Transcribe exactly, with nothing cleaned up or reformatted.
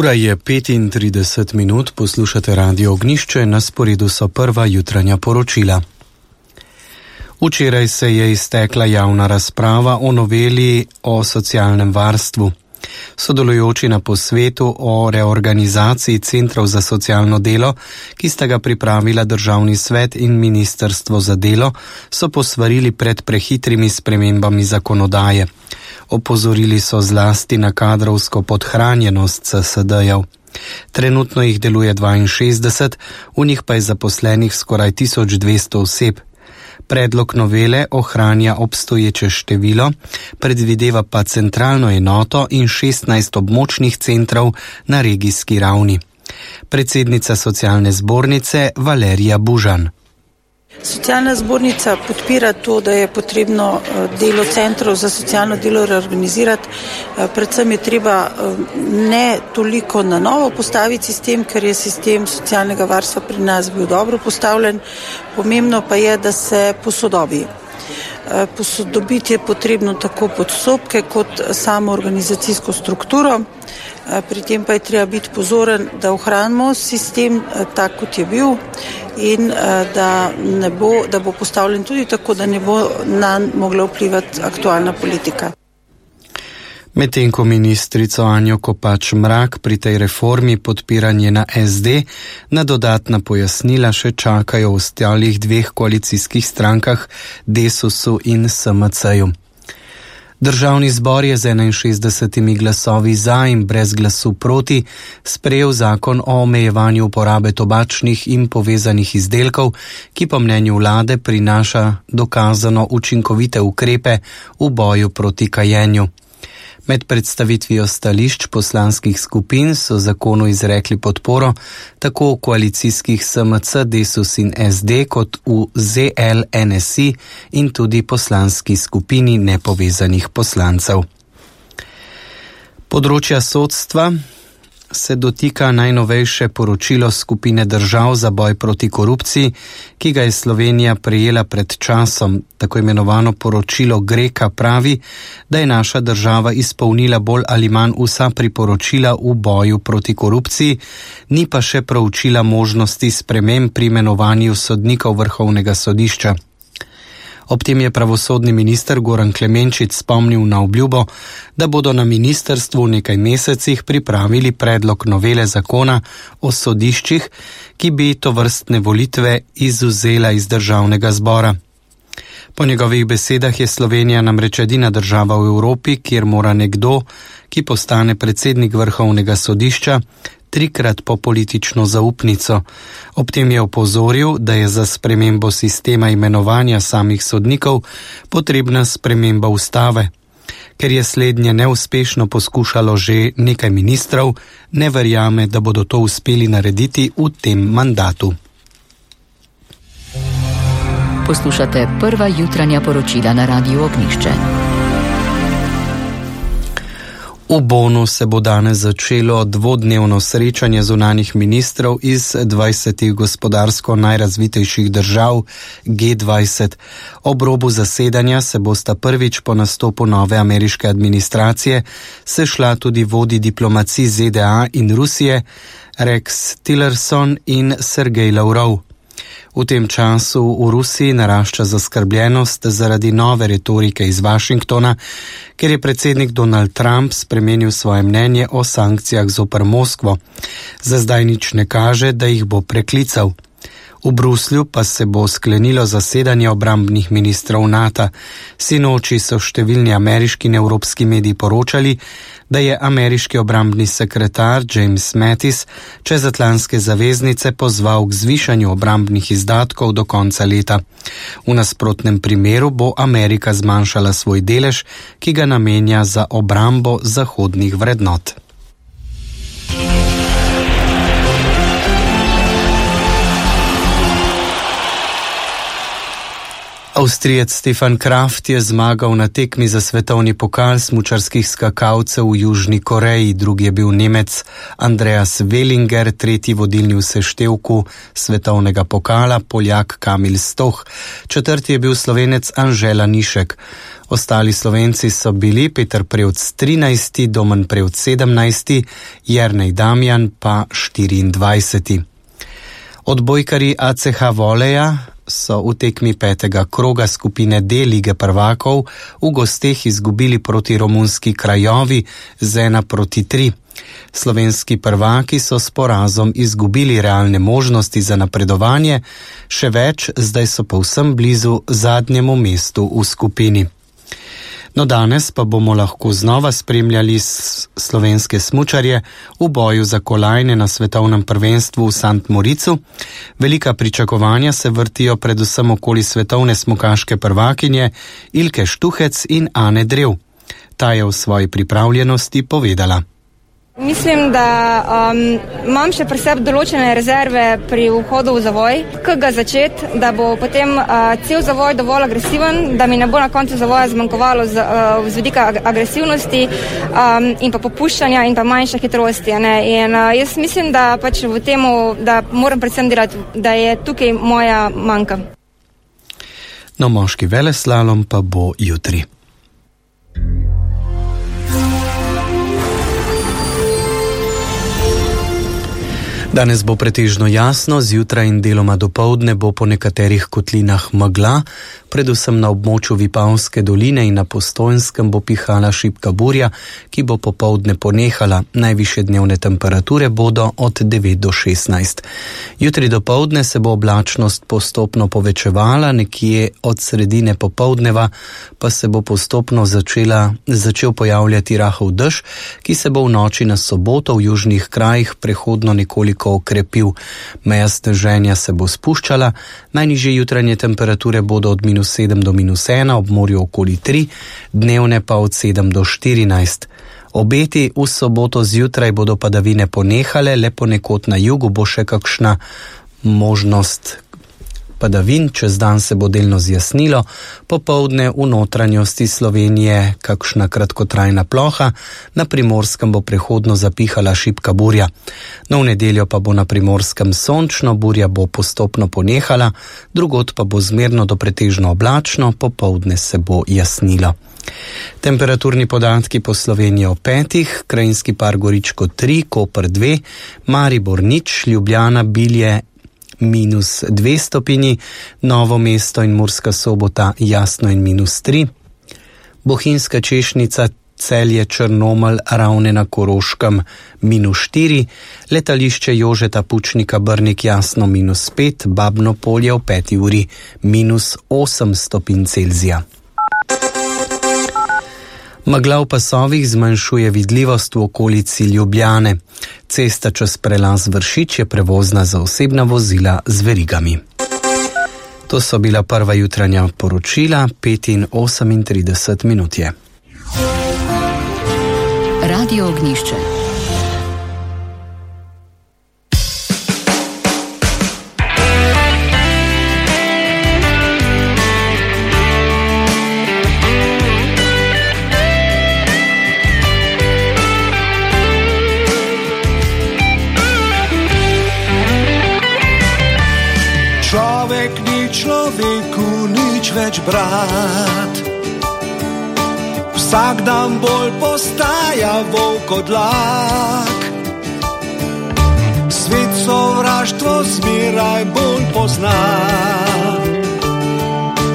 Ura je petintrideset minut, poslušate Radio Ognjišče, na sporedu so prva jutranja poročila. Včeraj se je iztekla javna razprava o noveli o socialnem varstvu. Sodelujoči na posvetu o reorganizaciji centrov za socialno delo, ki sta ga pripravila Državni svet in Ministrstvo za delo, so posvarili pred prehitrimi spremembami zakonodaje. Opozorili so zlasti na kadrovsko podhranjenost C S D-jev. Trenutno jih deluje dvainšestdeset, v njih pa je zaposlenih skoraj tisoč dvesto oseb. Predlog novele ohranja obstoječe število, predvideva pa centralno enoto in šestnajst območnih centrov na regijski ravni. Predsednica socialne zbornice Valerija Bužan. Socialna zbornica podpira to, da je potrebno delo centrov za socialno delo reorganizirati. Predvsem je treba ne toliko na novo postaviti sistem, ker je sistem socialnega varstva pri nas bil dobro postavljen. Pomembno pa je, da se posodobi. Posodobiti je potrebno tako postopke kot samo organizacijsko strukturo. Pri tem pa je treba biti pozoren, da ohranimo sistem tak, kot je bil, in da, ne bo, da bo postavljen tudi tako, da ne bo nanj mogla vplivati aktualna politika. Medtem ko ministrico Anjo Kopač Mrak pri tej reformi podpira njena S D, na dodatna pojasnila še čakajo v ostalih dveh koalicijskih strankah, Desusu in S M C-ju. Državni zbor je z enainšestdesetimi glasovi za in brez glasu proti sprejel zakon o omejevanju uporabe tobačnih in povezanih izdelkov, ki po mnenju vlade prinaša dokazano učinkovite ukrepe v boju proti kajenju. Med predstavitvijo stališč poslanskih skupin so zakonu izrekli podporo tako v koalicijskih S M C, Desus in S D kot v Z L, N S I in tudi poslanski skupini nepovezanih poslancev. Področja sodstva se dotika najnovejše poročilo skupine držav za boj proti korupciji, ki ga je Slovenija prejela pred časom. Tako imenovano poročilo Greka pravi, da je naša država izpolnila bolj ali manj vsa priporočila v boju proti korupciji, ni pa še proučila možnosti sprememb pri imenovanju sodnikov Vrhovnega sodišča. Ob tem je pravosodni minister Goran Klemenčič spomnil na obljubo, da bodo na ministrstvu v nekaj mesecih pripravili predlog novele zakona o sodiščih, ki bi tovrstne volitve izvzela iz državnega zbora. Po njegovih besedah je Slovenija namreč edina država v Evropi, kjer mora nekdo, ki postane predsednik Vrhovnega sodišča, trikrat po politično zaupnico. Ob tem je opozoril, da je za spremembo sistema imenovanja samih sodnikov potrebna sprememba ustave. Ker je slednje neuspešno poskušalo že nekaj ministrov, ne verjame, da bodo to uspeli narediti v tem mandatu. Poslušate prva jutranja poročila na Radiu Ognjišče. V Bonu se bo danes začelo dvodnevno srečanje zunanjih ministrov iz dvajsetih gospodarsko najrazvitejših držav G dvajset. Ob robu zasedanja se bosta prvič po nastopu nove ameriške administracije sešla tudi vodji diplomacij Z D A in Rusije Rex Tillerson in Sergej Lavrov. V tem času v Rusiji narašča zaskrbljenost zaradi nove retorike iz Washingtona, ker je predsednik Donald Trump spremenil svoje mnenje o sankcijah zoper Moskvo. Za zdaj nič ne kaže, da jih bo preklical. V Bruslju pa se bo sklenilo zasedanje obrambnih ministrov NATO. Sinoči so številni ameriški in evropski mediji poročali, da je ameriški obrambni sekretar James Mattis čezatlantske zaveznice pozval k zvišanju obrambnih izdatkov do konca leta. V nasprotnem primeru bo Amerika zmanjšala svoj delež, ki ga namenja za obrambo zahodnih vrednot. Avstrijec Stefan Kraft je zmagal na tekmi za svetovni pokal smučarskih skakalcev v Južni Koreji, drugi je bil Nemec Andreas Wellinger, tretji vodilni v seštevku svetovnega pokala Poljak Kamil Stoch, četrti je bil Slovenec Anžela Nišek. Ostali Slovenci so bili Peter Prevc trinajsti, Domen Prevc sedemnajsti, Jernej Damjan pa štiriindvajseti. Odbojkarji A C H Voleja so v tekmi petega kroga skupine D Lige prvakov v gosteh izgubili proti romunski Krajovi z ena proti tri. Slovenski prvaki so s porazom izgubili realne možnosti za napredovanje, še več, zdaj so povsem blizu zadnjemu mestu v skupini. No, danes pa bomo lahko znova spremljali slovenske smučarje v boju za kolajne na svetovnem prvenstvu v Sant Moricu. Velika pričakovanja se vrtijo predvsem okoli svetovne smukaške prvakinje Ilke Štuhec in Ane Drev. Ta je v svoji pripravljenosti povedala. Mislim, da um, imam še pri sebi določene rezerve pri vhodu v zavoj, kako ga začeti, da bo potem uh, cel zavoj dovolj agresiven, da mi ne bo na koncu zavoja zmanjkovalo z, uh, z vidika ag- agresivnosti um, in pa popuščanja in pa manjše hitrosti. Ne? In uh, jaz mislim, da pač v temu, da moram predvsem delati, da je tukaj moja manjka. No, moški veleslalom pa bo jutri. Danes bo pretežno jasno, zjutraj in deloma dopoldne bo po nekaterih kotlinah megla, predvsem na območju Vipavske doline in na Postojnskem bo pihala šibka burja, ki bo popoldne ponehala. Najvišje dnevne temperature bodo od devet do šestnajst. Jutri dopoldne se bo oblačnost postopno povečevala, nekje od sredine popoldneva pa se bo postopno začela, začel pojavljati rahel dež, ki se bo v noči na soboto v južnih krajih prehodno nekoliko okrepil. Meja sneženja se bo spuščala, najnižje jutranje temperature bodo od minus sedem do minus ena, ob morju okoli tri, dnevne pa od sedem do štirinajst. Obeti v soboto zjutraj bodo padavine ponehale, le ponekod na jugu bo še kakšna možnost padavin, čez dan se bo delno zjasnilo, popoldne v notranjosti Slovenije kakšna kratkotrajna ploha, na Primorskem bo prehodno zapihala šibka burja. No, v nedeljo pa bo na Primorskem sončno, burja bo postopno ponehala, drugod pa bo zmerno do pretežno oblačno, popoldne se bo jasnilo. Temperaturni podatki po Sloveniji o petih, Krajinski par Goričko tri, Koper dve, Maribor nič, Ljubljana, Bilje minus dve stopinji, Novo mesto in Murska Sobota jasno in minus tri, Bohinjska Češnica, Celje, Črnomelj, Ravne na Koroškem minus štiri, letališče Jožeta Pučnika Brnik jasno minus pet, Babno Polje v peti uri minus osem stopinj Celzija. Megla v pasovih zmanjšuje vidljivost v okolici Ljubljane. Cesta čez prelaz Vršič je prevozna za osebna vozila z verigami. To so bila prva jutranja poročila, pet in osemintrideset minut je. Radio Ognjišče. Človek ni človeku nič več brat, vsak dan bolj postaja volk od lak. Svet sovraštvo zmeraj bolj pozna,